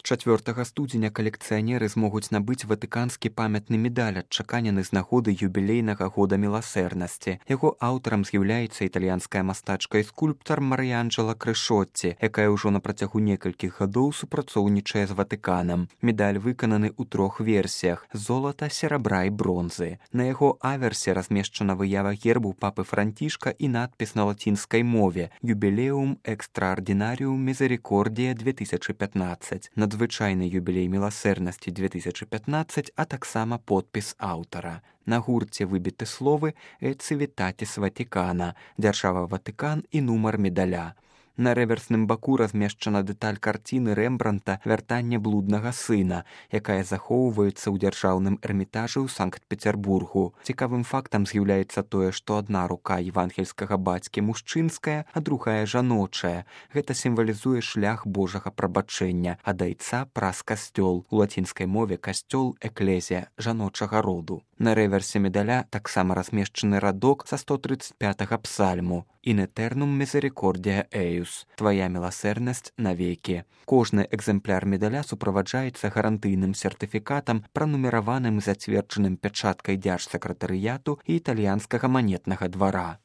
З 4 студзеня калекцыянеры змогуць набыць ватыканскі памятны медаль, адчаканены з нагоды юбілейнага года міласэрнасці. Яго аўтарам з'яўляецца італьянская мастачка і скульптар Марыянджэла Крышотці, якая ўжо на працягу некалькіх гадоў супрацоўнічае з Ватыканам. Медаль выкананы ў 3 версіях – золата, серабра і бронзы. На яго аверсе размешчана выява гербу папы Францішка і надпіс на лацінскай мове «Юбілеум экстраардинаріум мізерікордія 2015». Надзвычайны юбілей міласэрнасці 2015, а таксама подпіс аўтара. На гурце выбіты словы «Et civitatis Vaticana», «Дзяржава Ватыкан» і нумар медаля. На рэверсным баку размешчана дэталь карціны Рэмбранта «Вяртанне блуднага сына», якая захоўваецца ў дзяржаўным эрмітажы ў Санкт-Пецярбургу. Цікавым фактам з'яўляецца тое, што адна рука евангельскага бацькі мужчынская, а другая жаночая. Гэта сімвалізуе шлях Божага прабачэння, ад айца праз касцёл. У лацінскай мове касцёл – эклезія, жаночага роду. На рэверсе медаля таксама размешчаны радок са 135-га псальму «In eternum misericordia eius» – «Твая міласэрнасць навекі». Кожны экземпляр медаля суправаджаецца гарантыйным сертыфікатам, пранумераваным і зацверджаным пячаткай дзяржсакратарыяту і італьянскага манетнага двара.